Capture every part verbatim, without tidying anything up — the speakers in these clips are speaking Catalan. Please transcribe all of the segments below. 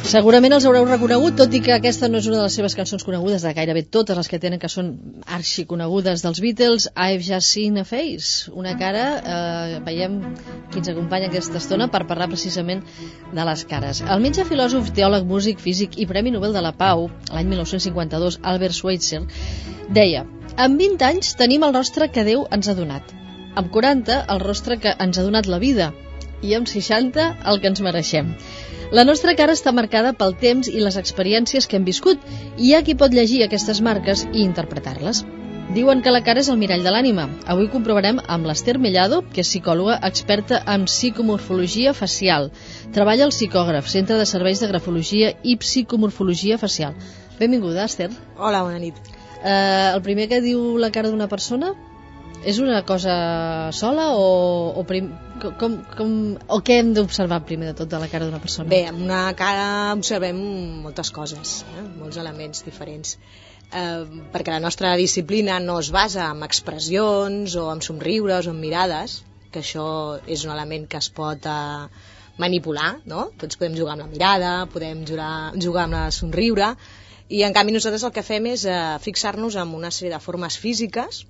Segurament els haureu reconegut, tot i que aquesta no és una de les seves cançons conegudes, de gairebé totes les que tenen, que són arxiconegudes dels Beatles. I've Just Seen a Face, una cara, eh, veiem qui ens acompanya aquesta estona per parlar precisament de les cares. El metge, filòsof, teòleg, músic, físic i Premi Nobel de la Pau, l'any mil nou-cents cinquanta-dos, Albert Schweitzer, deia: amb vint anys tenim el rostre que Déu ens ha donat, amb quaranta el rostre que ens ha donat la vida i amb seixanta el que ens mereixem. La nostra cara està marcada pel temps i les experiències que hem viscut, i hi ha qui pot llegir aquestes marques i interpretar-les. Diuen que la cara és el mirall de l'ànima. Avui comprovarem amb l'Ester Mellado, que és psicòloga experta en psicomorfologia facial. Treballa al Psicògraf, Centre de Serveis de Grafologia i Psicomorfologia Facial. Benvinguda, Ester. Hola, bona nit. Eh, el primer que diu la cara d'una persona és una cosa sola o, o, prim, com, com, o què hem d'observar primer de tot de la cara d'una persona? Bé, amb una cara observem moltes coses, eh? molts elements diferents, eh, perquè la nostra disciplina no es basa en expressions o en somriures o en mirades, que això és un element que es pot eh, manipular, no? Tots podem jugar amb la mirada, podem jugar, jugar amb la somriure, i en canvi nosaltres el que fem és eh, fixar-nos en una sèrie de formes físiques,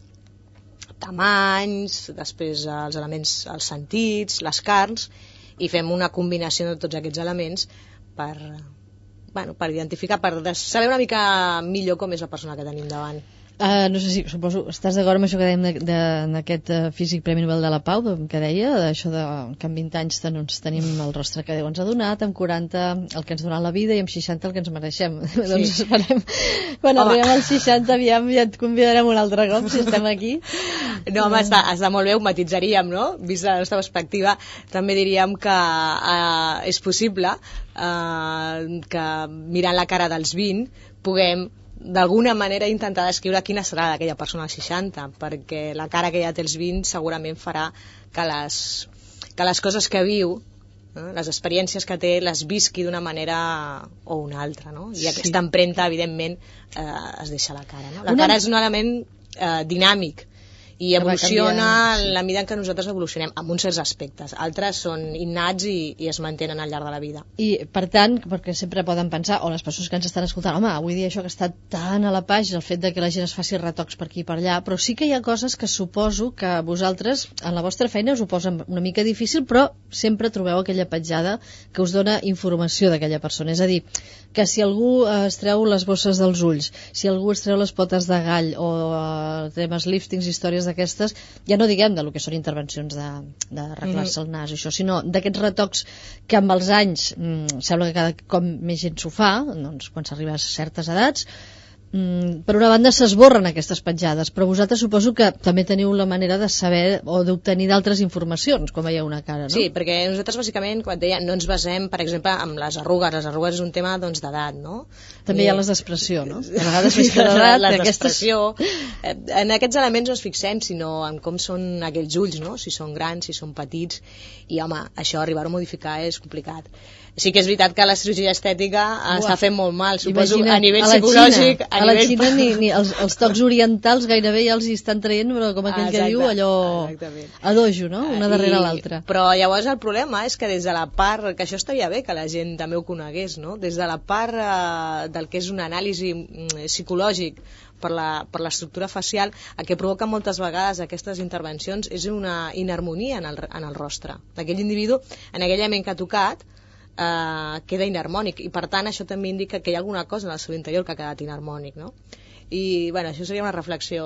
tamanys, després els elements, els sentits, les carns, i fem una combinació de tots aquests elements per, bueno, per identificar, per saber una mica millor com és la persona que tenim davant. Uh, no sé si, suposo, estàs d'acord amb això que dèiem d'aquest uh, físic Premi Nobel de la Pau, que deia, això de que amb vint anys doncs, tenim el rostre que Déu ens ha donat, amb quaranta el que ens ha donat la vida i amb seixanta el que ens mereixem. Sí. Doncs esperem, quan home. Arribem als seixanta, aviam, ja et convidarem un altre cop, si estem aquí. No, home, està, està molt bé, ho matitzaríem, no? Vist la nostra perspectiva, també diríem que uh, és possible uh, que mirant la cara dels vint puguem d'alguna manera intentar descriure quina serà d'aquella persona als seixanta, perquè la cara que ja té els vint segurament farà que les, que les coses que viu, eh, les experiències que té, les visqui d'una manera o una altra, no? I aquesta empremta, evidentment, eh, es deixa a la cara, no? La una... cara és un element eh, dinàmic i evoluciona en la mida en què nosaltres evolucionem, amb uns certs aspectes. Altres són innats i, i es mantenen al llarg de la vida. I, per tant, perquè sempre poden pensar, o les persones que ens estan escoltant, home, avui dia això que està tan a la pàgina, el fet de que la gent es faci retocs per aquí i per allà, però sí que hi ha coses que suposo que vosaltres, en la vostra feina, us ho posen una mica difícil, però sempre trobeu aquella petjada que us dona informació d'aquella persona. És a dir, que si algú eh, es treu les bosses dels ulls, si algú es treu les potes de gall, o eh, temes liftings, històries d'aquestes, ja no diguem de lo que són intervencions de, de arreglar-se el nas, això, sinó d'aquests retocs que amb els anys mm, sembla que cada cop més gent s'ho fa, doncs quan s'arriba a certes edats, mm, per una banda s'esborren aquestes petjades, però vosaltres suposo que també teniu la manera de saber o d'obtenir d'altres informacions quan veieu una cara, no? Sí, perquè nosaltres bàsicament, com et deia, no ens basem, per exemple, en les arrugues. Les arrugues és un tema doncs, d'edat, no? També I... hi ha les d'expressió, no? A vegades més que d'edat, les d'expressió. En aquests elements no ens fixem, sinó en com són aquells ulls, no? Si són grans, si són petits, i home, això arribar-ho a modificar és complicat. Sí que és veritat que la cirurgia estètica Uah. està fent molt mal, suposo, imagina't, a nivell a psicològic. Xina, a, a la nivell... Xina ni, ni els, els tocs orientals gairebé ja els hi estan traient, però com aquell Exacte. que diu, allò Exactament. a dojo, no? Una darrere l'altra. Però llavors el problema és que des de la part, que això estaria bé que la gent també ho conegués, no? Des de la part eh, del que és un anàlisi mm, psicològic per la, per l'estructura facial, el que provoca moltes vegades aquestes intervencions és una inharmonia en el, en el rostre d'aquell individu, en aquell element que ha tocat, Uh, queda inharmònic, i per tant això també indica que hi ha alguna cosa en el seu interior que ha quedat inharmònic, no? I bueno, això seria una reflexió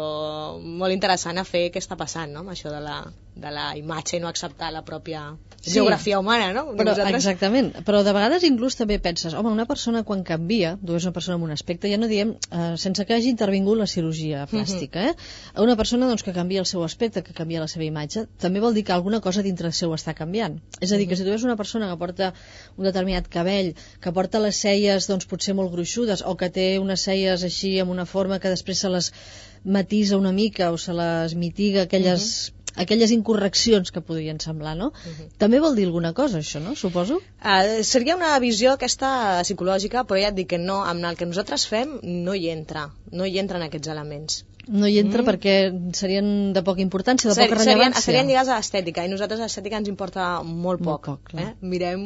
molt interessant a fer què està passant, no? Amb això de la, de la imatge i no acceptar la pròpia sí, geografia humana, no? Però, exactament, però de vegades inclús també penses, home, una persona quan canvia, tu és una persona amb un aspecte, ja no diem eh, sense que hagi intervingut la cirurgia plàstica, eh? Una persona doncs, que canvia el seu aspecte, que canvia la seva imatge, també vol dir que alguna cosa dintre seu està canviant. És a dir, que si tu veus una persona que porta un determinat cabell, que porta les celles doncs, potser molt gruixudes, o que té unes celles així amb una forma que després se les matisa una mica o se les mitiga aquelles, uh-huh. aquelles incorreccions que podrien semblar, no? Uh-huh. També vol dir alguna cosa, això, no? Suposo? Uh, seria una visió aquesta psicològica, però ja et dic que no, amb el que nosaltres fem no hi entra, no hi entren aquests elements. no hi entra mm. perquè serien de poca importància, de Ser, poca rellevància. Serien, serien lligats a l'estètica, i nosaltres l'estètica ens importa molt poc. Molt poc, eh? Mirem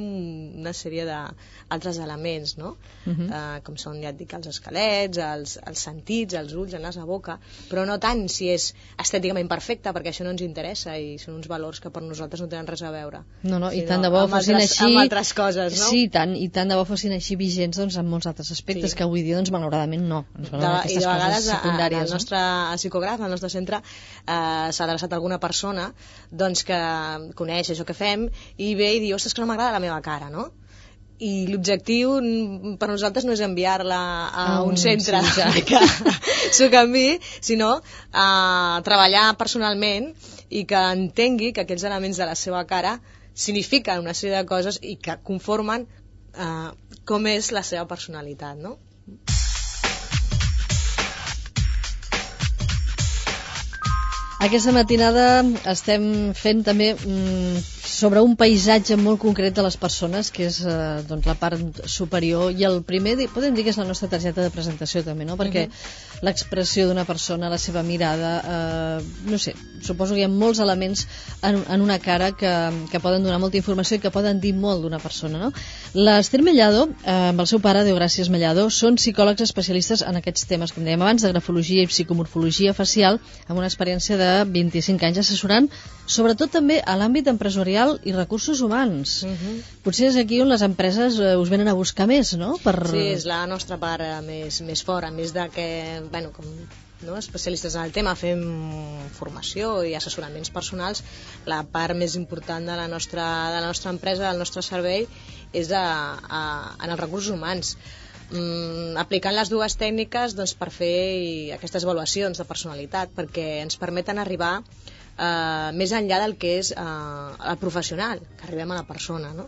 una sèrie d'altres elements, no? Uh -huh. uh, com són, ja et dic, els esquelets, els, els sentits, els ulls, el nas, la boca, però no tant si és estèticament perfecta, perquè això no ens interessa i són uns valors que per nosaltres no tenen res a veure. No, no, i tant de bo fossin altres, així... Amb altres coses, no? Sí, tant, i tant de bo fossin així vigents doncs, en molts altres aspectes, sí. que avui dia, doncs, malauradament, no. Ens de, I de vegades, secundàries, el nostre no? psicògraf, al nostre centre, eh, s'ha adreçat a alguna persona doncs, que coneix això que fem i ve i diu, ostres, que no m'agrada la meva cara, no? I l'objectiu per nosaltres no és enviar-la a un, un centre sí, que s'ho canviï, sinó a treballar personalment i que entengui que aquells elements de la seva cara signifiquen una sèrie de coses i que conformen eh, com és la seva personalitat, no? Aquesta matinada estem fent també mm, sobre un paisatge molt concret de les persones, que és eh, doncs, la part superior, i el primer, podem dir que és la nostra targeta de presentació també, no? Perquè uh -huh. l'expressió d'una persona, la seva mirada, eh, no sé, suposo que hi ha molts elements en, en una cara que, que poden donar molta informació i que poden dir molt d'una persona, no? L'Ester Mellado, eh, amb el seu pare, Deogràcies Mellado, són psicòlegs especialistes en aquests temes, com dèiem abans, de grafologia i psicomorfologia facial, amb una experiència de vint-i-cinc anys assessorant, sobretot també a l'àmbit empresarial i recursos humans. Uh -huh. Potser és aquí on les empreses eh, us venen a buscar més, no? Per... Sí, és la nostra part eh, més, més fora, més de que, bueno, com no, especialistes en el tema, fem formació i assessoraments personals, la part més important de la nostra, de la nostra empresa, del nostre servei, és a, a, en els recursos humans. Mm, aplicant les dues tècniques doncs, per fer aquestes avaluacions de personalitat, perquè ens permeten arribar eh, més enllà del que és eh, el professional, que arribem a la persona, no?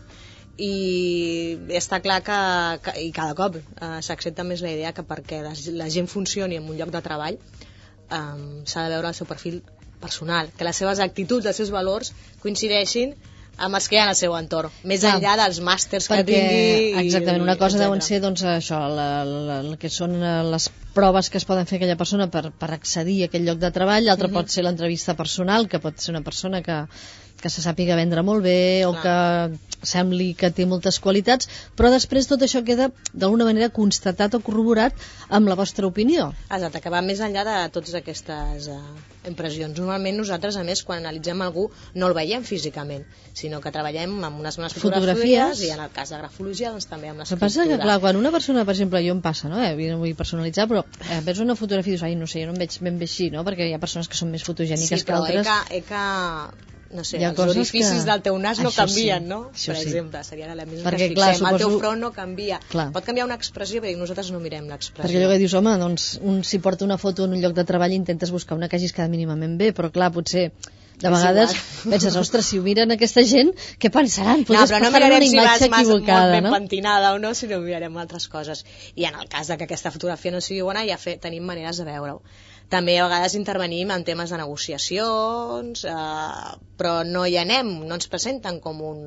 I està clar que, que i cada cop eh, s'accepta més la idea que perquè la, la gent funcioni en un lloc de treball eh, s'ha de veure el seu perfil personal, que les seves actituds, els seus valors coincideixin amb els que hi ha en el seu entorn, més ah, enllà dels màsters que tingui. Exactament, una cosa deuen ser doncs, això, la, la, la que són les proves que es poden fer aquella persona per, per accedir a aquell lloc de treball, l'altre uh -huh. pot ser l'entrevista personal, que pot ser una persona que, que se sàpiga vendre molt bé o Clar. que sembli que té moltes qualitats, però després tot això queda d'alguna manera constatat o corroborat amb la vostra opinió. Exacte, que va més enllà de totes aquestes uh, impressions. Normalment nosaltres, a més, quan analitzem algú no el veiem físicament, sinó que treballem amb unes bones fotografies, fotografies i en el cas de grafologia doncs, també amb l'escriptura. El que passa que, clar, quan una persona, per exemple, jo em passa, no? Eh, no vull personalitzar, però eh, veus una fotografia i dius, ai, no sé, jo no em veig ben bé així, no? Perquè hi ha persones que són més fotogèniques sí, que altres. Sí, però he que... no sé, els orificis que... del teu nas no això canvien, sí, no? Per sí. exemple, seria l'element que fixem. Clar, suposo... El teu front no canvia. Clar. Pot canviar una expressió, però nosaltres no mirem l'expressió. Perquè allò que dius, home, doncs, un, si porta una foto en un lloc de treball intentes buscar una que hagis quedat mínimament bé, però clar, potser de vegades penses, ostres, si ho miren aquesta gent, què pensaran? Potser no, però no mirarem si vas equivocada, molt ben no? pentinada o no, sinó mirarem altres coses. I en el cas de que aquesta fotografia no sigui bona, ja fe, tenim maneres de veure-ho. També a vegades intervenim en temes de negociacions, eh, però no hi anem, no ens presenten com un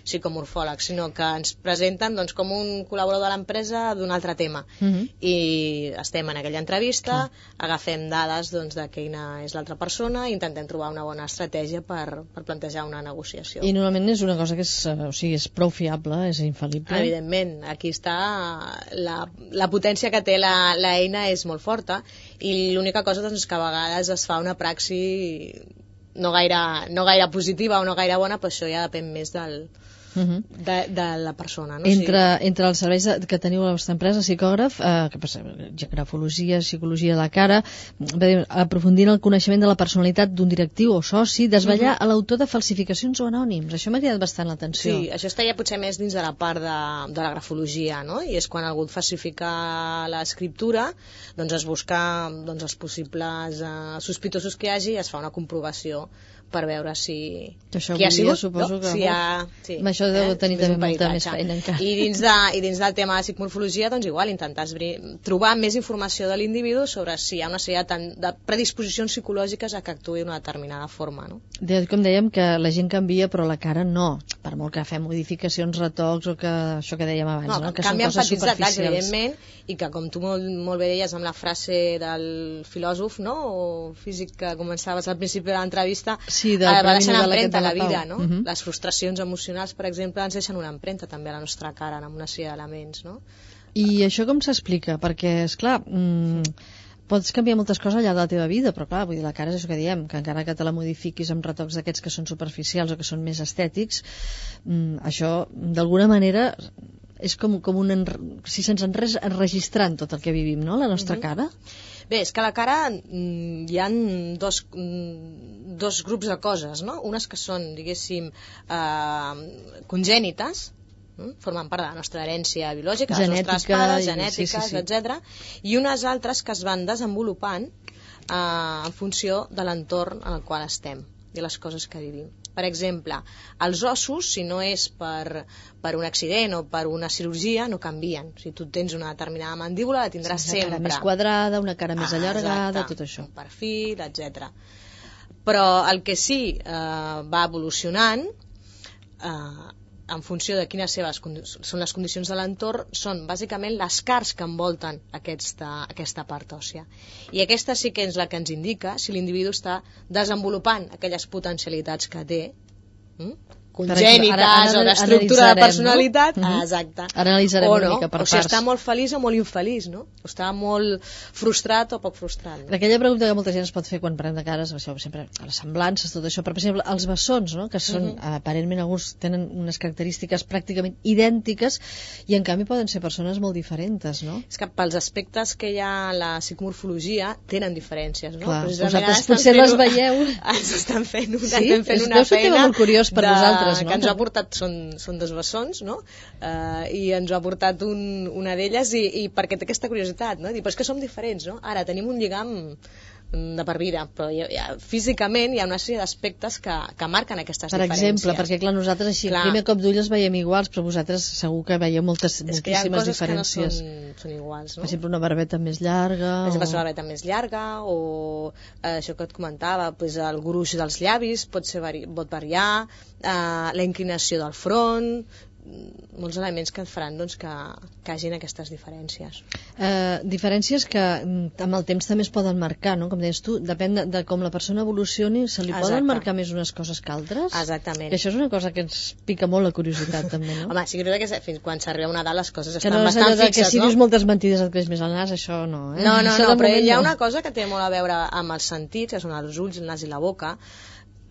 psicomorfòleg, sinó que ens presenten doncs, com un col·laborador de l'empresa d'un altre tema. Uh -huh. I estem en aquella entrevista, Clar. agafem dades doncs, de quina és l'altra persona i intentem trobar una bona estratègia per, per plantejar una negociació. I normalment és una cosa que és, o sigui, és prou fiable, és infal·lible. Evidentment, aquí està la, la potència que té l'eina és molt forta i l'única cosa doncs, que a vegades es fa una praxi no gaire, no gaire positiva o no gaire bona, però això ja depèn més del, uh-huh. de, de la persona. No? Entre, sí. entre els serveis que teniu a la vostra empresa, psicògraf, eh, que passa, grafologia, psicologia de la cara, aprofundir en el coneixement de la personalitat d'un directiu o soci, desvetllar uh-huh. a l'autor de falsificacions o anònims. Això m'ha cridat bastant l'atenció. Sí, això està ja potser més dins de la part de, de la grafologia, no? I és quan algú falsifica l'escriptura, doncs es busca doncs, els possibles eh, sospitosos que hi hagi i es fa una comprovació per veure si qui ha sigut, suposo no? que si ha, sí, amb això deu eh? tenir també molta més feina encara. I dins, de, i dins del tema de psicomorfologia doncs igual, intentar trobar més informació de l'individu sobre si hi ha una sèrie de, de predisposicions psicològiques a que actuï d'una determinada forma, no? De, com dèiem que la gent canvia però la cara no. per molt que fem modificacions, retocs o que això que dèiem abans, no, no? que Canvien són coses petits detalls, superficials. evidentment, i que com tu molt, molt bé deies amb la frase del filòsof, no?, o físic que començaves al principi de l'entrevista, sí, eh, va deixar una empremta a la vida, Pau. no? Uh -huh. Les frustracions emocionals, per exemple, ens deixen una empremta també a la nostra cara, amb una sèrie d'elements, no? I això com s'explica? Perquè, esclar, mmm, pots canviar moltes coses al llarg de la teva vida, però clar, vull dir, la cara és això que diem, que encara que te la modifiquis amb retocs d'aquests que són superficials o que són més estètics, mmm, això, d'alguna manera, és com, com un... si se'ns enres enregistrant tot el que vivim, no?, la nostra uh-huh. cara. Bé, és que a la cara mm, hi ha dos, mm, dos grups de coses, no? Unes que són, diguéssim, eh, congènites, formen part de la nostra herència biològica, genètica, les nostres pares, genètiques, sí, sí, sí. etcètera, i unes altres que es van desenvolupant eh, en funció de l'entorn en el qual estem i les coses que vivim. Per exemple, els ossos, si no és per, per un accident o per una cirurgia, no canvien. Si tu tens una determinada mandíbula, la tindràs sí, sempre. Una cara més quadrada, una cara més ah, allargada, exacte, tot això. Un perfil, etcètera. Però el que sí eh, va evolucionant eh, en funció de quines seves són les condicions de l'entorn, són bàsicament les carns que envolten aquesta, aquesta part òssia. I aquesta sí que és la que ens indica si l'individu està desenvolupant aquelles potencialitats que té, hm? congènites ara, ara, o d'estructura de personalitat, no? Exacte. Ara analitzarem o no, una mica per o si parts. està molt feliç o molt infeliç, no? O està molt frustrat o poc frustrat. No? Aquella pregunta que molta gent es pot fer quan parlem de cares, això, sempre les semblances, tot això, però per exemple els bessons, no? Que són, uh-huh. aparentment alguns tenen unes característiques pràcticament idèntiques i en canvi poden ser persones molt diferents, no? És que pels aspectes que hi ha a la psicomorfologia tenen diferències, no? Clar, vosaltres potser les veieu. Ens estan fent, sí? estem fent una feina és un feina molt curiós per de, nosaltres, no? Que ens ha portat, són, són dos bessons, no? Uh, i ens ho ha portat un, una d'elles i, i perquè té aquesta curiositat, no? Dir, però és que som diferents, no? Ara tenim un lligam de per vida, però hi ha, hi ha, físicament hi ha una sèrie d'aspectes que, que marquen aquestes per diferències. Per exemple, perquè clar, nosaltres així, clar. al primer cop d'ull els veiem iguals, però vosaltres segur que veieu moltes, és que hi ha moltíssimes coses diferències. Que no són, són iguals, no? Per exemple, una barbeta més llarga... Per exemple, o... una barbeta més llarga, o eh, això que et comentava, pues, el gruix dels llavis pot, ser vari... pot variar, eh, la inclinació del front, molts elements que et faran doncs, que, que hagin aquestes diferències. Eh, diferències que amb el temps també es poden marcar, no? Com deies tu, depèn de, de com la persona evolucioni, se li Exacte. Poden marcar més unes coses que altres? Exactament. Que això és una cosa que ens pica molt la curiositat també, no? Home, sí que és que fins quan s'arriba a una edat les coses que estan no bastant fixes, que si no? dius moltes mentides et creix més el nas, això no, eh? No, no, això no, però hi ha no. una cosa que té molt a veure amb els sentits, que són els ulls, el nas i la boca,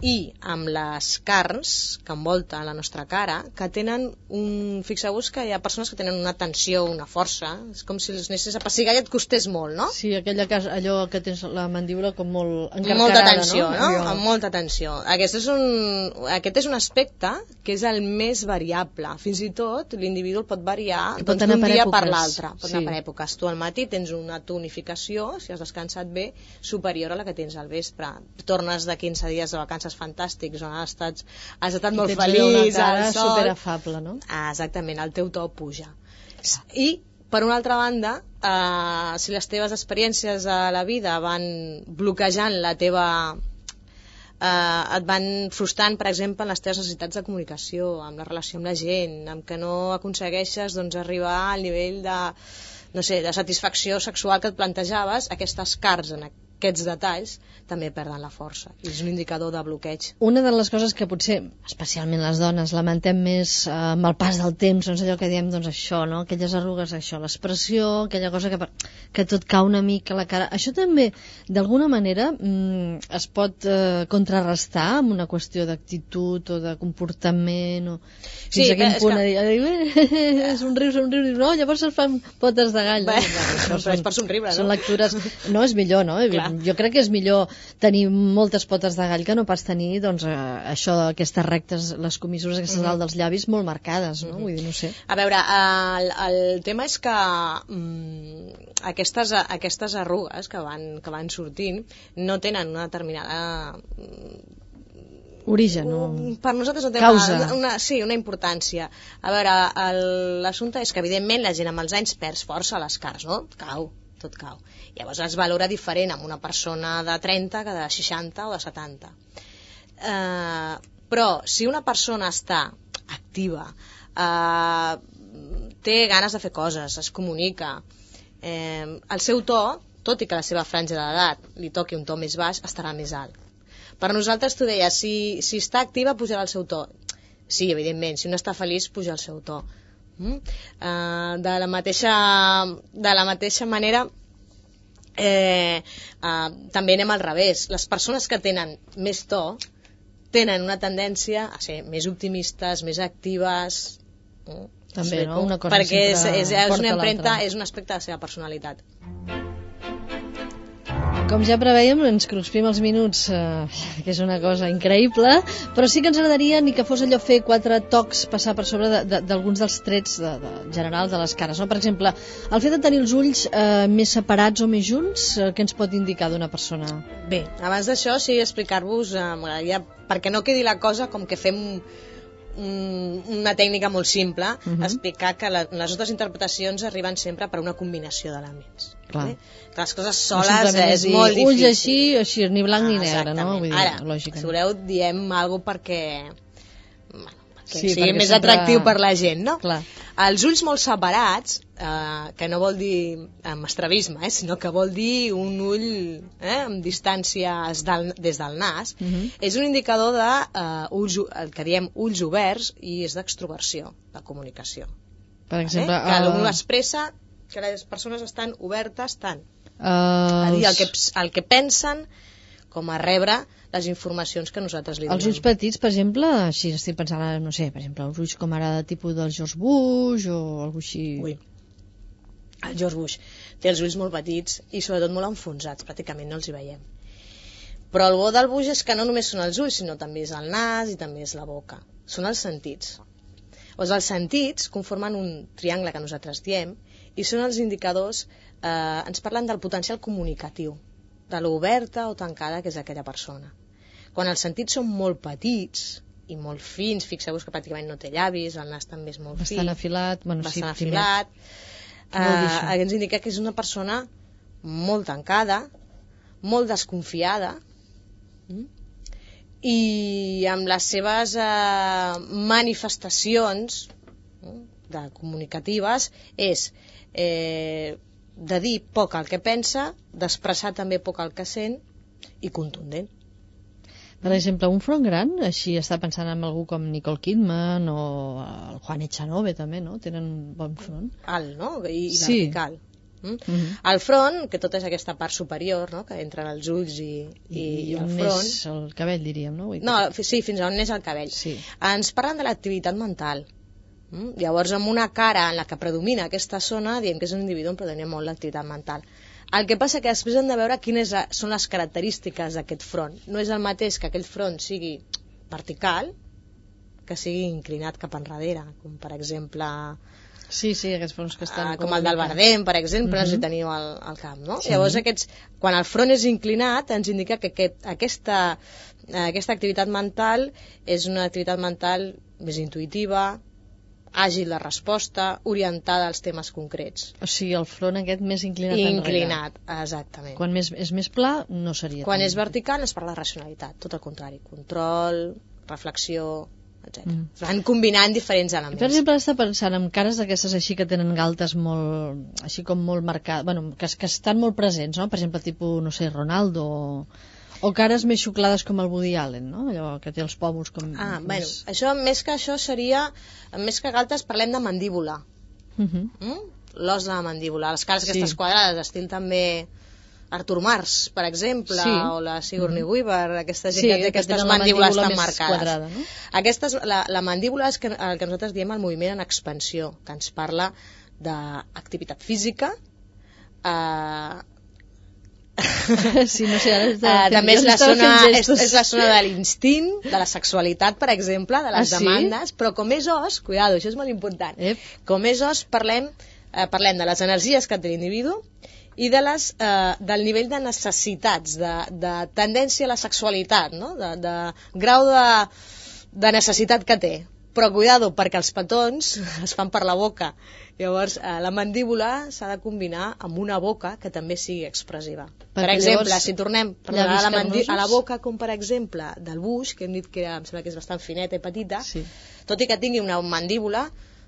i amb les carns que envolten la nostra cara, que tenen un... Fixeu-vos que hi ha persones que tenen una tensió, una força, és com si els anessis a pessigar i et costés molt, no? Sí, aquella casa, allò que tens la mandíbula com molt encarcarada, molta tensió, no? no? Allò... Amb molta tensió. Aquest és, un, aquest és un aspecte que és el més variable. Fins i tot l'individu el pot variar pot doncs, d'un per dia èpoques. per l'altre. Pot sí. anar per èpoques. Tu al matí tens una tonificació, si has descansat bé, superior a la que tens al vespre. Tornes de quinze dies de vacances fantàstics, has estat, has estat molt feliç, al sol. Superafable, no? Ah, exactament, el teu to puja. I, per una altra banda, eh, si les teves experiències a la vida van bloquejant la teva... Eh, et van frustrant, per exemple, en les teves necessitats de comunicació, amb la relació amb la gent, amb que no aconsegueixes doncs, arribar al nivell de, no sé, de satisfacció sexual que et plantejaves, aquestes carns en aquests detalls també perden la força i és un indicador de bloqueig. Una de les coses que potser, especialment les dones, lamentem més eh, amb el pas del temps, doncs allò que diem, doncs això, no? Aquelles arrugues, això, l'expressió, aquella cosa que, que tot cau una mica a la cara. Això també, d'alguna manera, mm, es pot eh, contrarrestar amb una qüestió d'actitud o de comportament o fins sí, a quin punt que... dir, és un riu, és un riu, no, llavors es fan potes de gall. Bé, no? però són, és per somriure, no? Són lectures, no és millor, no? Clar. Jo crec que és millor tenir moltes potes de gall que no pas tenir doncs, eh, això, aquestes rectes, les comissures aquestes mm-hmm. dalt dels llavis molt marcades, no? Mm-hmm. Vull dir, no sé. A veure, el, el tema és que mm, aquestes, aquestes arrugues que van, que van sortint no tenen una determinada... origen, no? Per nosaltres no té causa. Una, una, sí, una importància. A veure, l'assumpte és que evidentment la gent amb els anys perd força a les cares, no? Cau, tot cau. Llavors es valora diferent amb una persona de trenta que de seixanta o de setanta. Eh, però si una persona està activa, eh, té ganes de fer coses, es comunica. Eh, el seu to, tot i que la seva franja d'edat li toqui un to més baix, estarà més alt. Per nosaltres, tu deies, si, si està activa, pujarà el seu to. Sí, evidentment, si no està feliç, puja el seu to. Mm? Uh, de, la mateixa, de la mateixa manera, eh, uh, també anem al revés. Les persones que tenen més to tenen una tendència a ser més optimistes, més actives. Mm? També, no? Una cosa perquè és, és, és una empremta, l'altra. és un aspecte de la seva personalitat. Com ja preveiem, ens cruspim els minuts, eh, que és una cosa increïble, però sí que ens agradaria ni que fos allò fer quatre tocs, passar per sobre d'alguns de, de, dels trets de, de, generals de les cares. No? Per exemple, el fet de tenir els ulls eh, més separats o més junts, eh, què ens pot indicar d'una persona? Bé, abans d'això, sí, explicar-vos, eh, m'agradaria, perquè no quedi la cosa com que fem una tècnica molt simple, uh-huh. explicar que la, les nostres interpretacions arriben sempre per una combinació d'elements. Clar. Eh? Que les coses soles no és dir, molt difícil. Ulls així, així, ni blanc ah, ni negre, no? Vull dir, ara, lògicament. si voleu, diem alguna cosa perquè, bueno, perquè sí, sigui perquè més sempre... atractiu per la gent, no? Clar. Els ulls molt separats, eh, que no vol dir amb estrabisme, eh, sinó que vol dir un ull eh, amb distàncies del, des del nas, uh-huh. és un indicador de eh, ulls, el que diem ulls oberts, i és d'extroversió, de comunicació. Per exemple... Eh? Que uh... l'un expressa que les persones estan obertes tant uh... a dir el que, el que pensen com a rebre les informacions que nosaltres li donem. Els ulls petits, per exemple, si estic pensant, no sé, per exemple, els ulls com ara de tipus del George Bush o algú així... Ui, el George Bush té els ulls molt petits i sobretot molt enfonsats, pràcticament no els hi veiem. Però el bo del Bush és que no només són els ulls, sinó també és el nas i també és la boca. Són els sentits. Doncs els sentits conformen un triangle que nosaltres diem i són els indicadors, eh, ens parlen del potencial comunicatiu, de l'oberta o tancada que és aquella persona. Quan els sentits són molt petits i molt fins, fixeu-vos que pràcticament no té llavis, el nas també és molt bastant fi, afilat, bueno, bastant sí, afilat, eh, ens indica que és una persona molt tancada, molt desconfiada, mm? i amb les seves eh, manifestacions mm, de comunicatives és eh, de dir poc el que pensa, d'expressar també poc el que sent i contundent. Per exemple, un front gran, així està pensant en algú com Nicole Kidman o el Juan Echanove també, no? Tenen un bon front. Alt, no? I, i sí. vertical. Mm? Uh-huh. El front, que tot és aquesta part superior, no? Que entre els ulls i, i, I, i el on front. és el cabell, diríem, no? No, sí, fins a on és el cabell. Sí. Ens parlen de l'activitat mental. Mm? Llavors, amb una cara en la que predomina aquesta zona, diem que és un individu on predomina molt l'activitat mental. El que passa que després hem de veure quines són les característiques d'aquest front. No és el mateix que aquell front sigui vertical, que sigui inclinat cap enrere, com per exemple... Sí, sí, aquests fronts que estan... Uh, com el del Bardem, per exemple, uh-huh. no sé si teniu al, al camp, no? Sí. Llavors, aquests, quan el front és inclinat, ens indica que aquest, aquesta, aquesta activitat mental és una activitat mental més intuïtiva, àgil de resposta, orientada als temes concrets. O sigui, el front aquest més inclinat enrere. Inclinat, exactament. Quan més, és més pla, no seria... Quan tan... és vertical, es parla de racionalitat, tot el contrari. Control, reflexió, etcètera. Mm. Van combinant diferents elements. Per exemple, està pensant en cares d'aquestes així que tenen galtes molt... així com molt marcades... Bueno, que, que estan molt presents, no? Per exemple, tipus, no sé, Ronaldo o... O cares més xuclades com el Woody Allen, no? Allò que té els pòmuls com... Ah, més... bueno, això, més que això seria... Més que galtes, parlem de mandíbula. Uh-huh. Mm? L'os de la mandíbula. Les cares sí. aquestes quadrades, estil també Artur Mas, per exemple, sí. o la Sigourney uh-huh. Weaver, aquesta gent sí, que té aquestes mandíbules tan marcades. Quadrada, no? Aquestes, la, la mandíbula és que, el que nosaltres diem el moviment en expansió, que ens parla d'activitat física, eh, sí, no sé, ara uh, també és la, zona, és, és la zona de l'instint, de la sexualitat, per exemple, de les ah, demandes, sí? però com és os, cuidado, això és molt important, Ep. com és os parlem, eh, parlem de les energies que té l'individu i de les, eh, del nivell de necessitats, de, de tendència a la sexualitat, no? de, de grau de, de necessitat que té. Però cuidado, perquè els petons es fan per la boca. Llavors, eh, la mandíbula s'ha de combinar amb una boca que també sigui expressiva. Per, per exemple, llavors, si tornem perdona, a, la mandi a la boca, com per exemple del buix, que hem dit que em sembla que és bastant fineta i petita, sí. Tot i que tingui una mandíbula,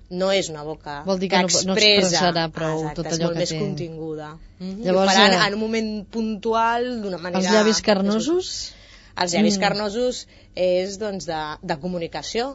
no és una boca Vol dir que, que no, no expressarà prou exacte, tot allò que té. és molt més continguda. Mm-hmm. Llavors, I ho faran en un moment puntual, d'una manera... Els llavis carnosos? Els llavis mm. carnosos és, doncs, de, de comunicació.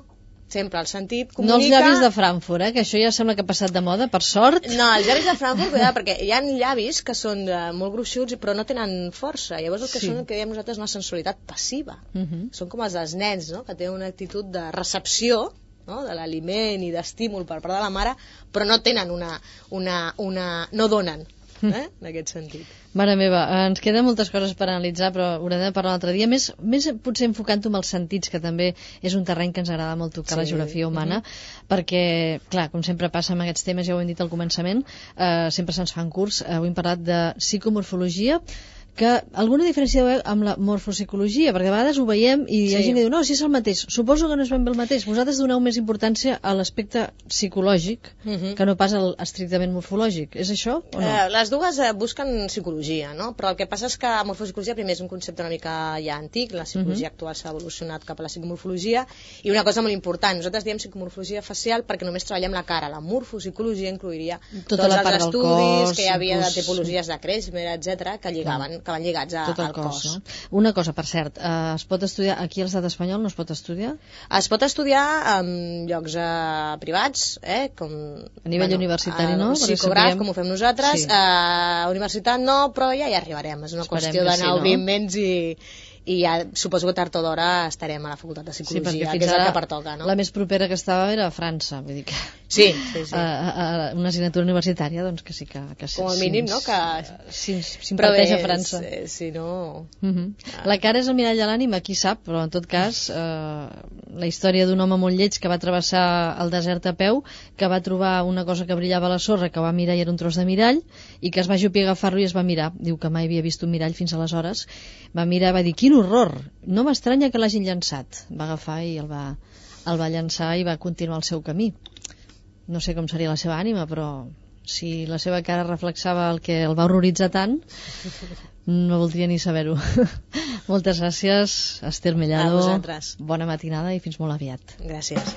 Sempre el sentit comunica... No els llavis de Frankfurt, eh? Que això ja sembla que ha passat de moda, per sort. No, els llavis de Frankfurt, cuidado, perquè hi ha llavis que són uh, molt gruixuts però no tenen força. Llavors el que sí. són el que diem nosaltres una sensualitat passiva. Uh-huh. Són com els dels nens, no? Que tenen una actitud de recepció, no? De l'aliment i d'estímul per part de la mare, però no tenen una... una, una no donen, eh? En aquest sentit. Mare meva, ens queden moltes coses per analitzar, però haurem de parlar un altre dia. Més, més potser enfocant-ho amb els sentits, que també és un terreny que ens agrada molt tocar, sí. La geografia humana, uh-huh. perquè, clar, com sempre passa amb aquests temes, ja ho hem dit al començament, eh, sempre se'ns fan curts. Avui hem parlat de psicomorfologia, que alguna diferència veu amb la morfopsicologia, perquè a vegades ho veiem i hi ha sí. gent que diu, no, si és el mateix. Suposo que no és ben bé el mateix. Vosaltres doneu més importància a l'aspecte psicològic uh-huh. que no pas al estrictament morfològic. És això o no? Eh, les dues eh, busquen psicologia, no? Però el que passa és que morfopsicologia primer és un concepte una mica ja antic, la psicologia uh-huh. actual s'ha evolucionat cap a la psicomorfologia, i una cosa molt important, nosaltres diem psicomorfologia facial perquè només treballem la cara. La morfopsicologia incluiria tota tots la els estudis cos, que hi havia inclús... de tipologies de Kretschmer, etcètera, que lligaven que van lligats a, tot el al cos. cos. No? Una cosa, per cert, eh, es pot estudiar aquí a l'estat espanyol, no es pot estudiar? Es pot estudiar en llocs eh, privats, eh, com... A nivell bueno, universitari, no? Psicograf, sapiguem... com ho fem nosaltres, sí. a universitat no, però ja hi arribarem. És una Esperem qüestió d'anar sí, obrint-ments no? i... i ja suposo que tard o d'hora estarem a la facultat de psicologia, sí, que és el que pertoca, no? La més propera que estava era a França, vull dir que... Sí, sí, sí. A, a, a una assignatura universitària, doncs que sí que... que com a mínim, no? Que... Si, si imparteix a França. Eh, si no... Uh-huh. Ah. La cara és el mirall de l'ànima, qui sap, però en tot cas, eh, la història d'un home molt lleig que va travessar el desert a peu, que va trobar una cosa que brillava a la sorra, que va mirar i era un tros de mirall, i que es va ajupir a agafar-lo i es va mirar. Diu que mai havia vist un mirall fins aleshores. Va mirar i va dir, quin horror! No m'estranya que l'hagin llançat. Va agafar i el va, el va llançar i va continuar el seu camí. No sé com seria la seva ànima, però si la seva cara reflexava el que el va horroritzar tant, no voldria ni saber-ho. Moltes gràcies, Esther Mellado. A vosaltres. Bona matinada i fins molt aviat. Gràcies.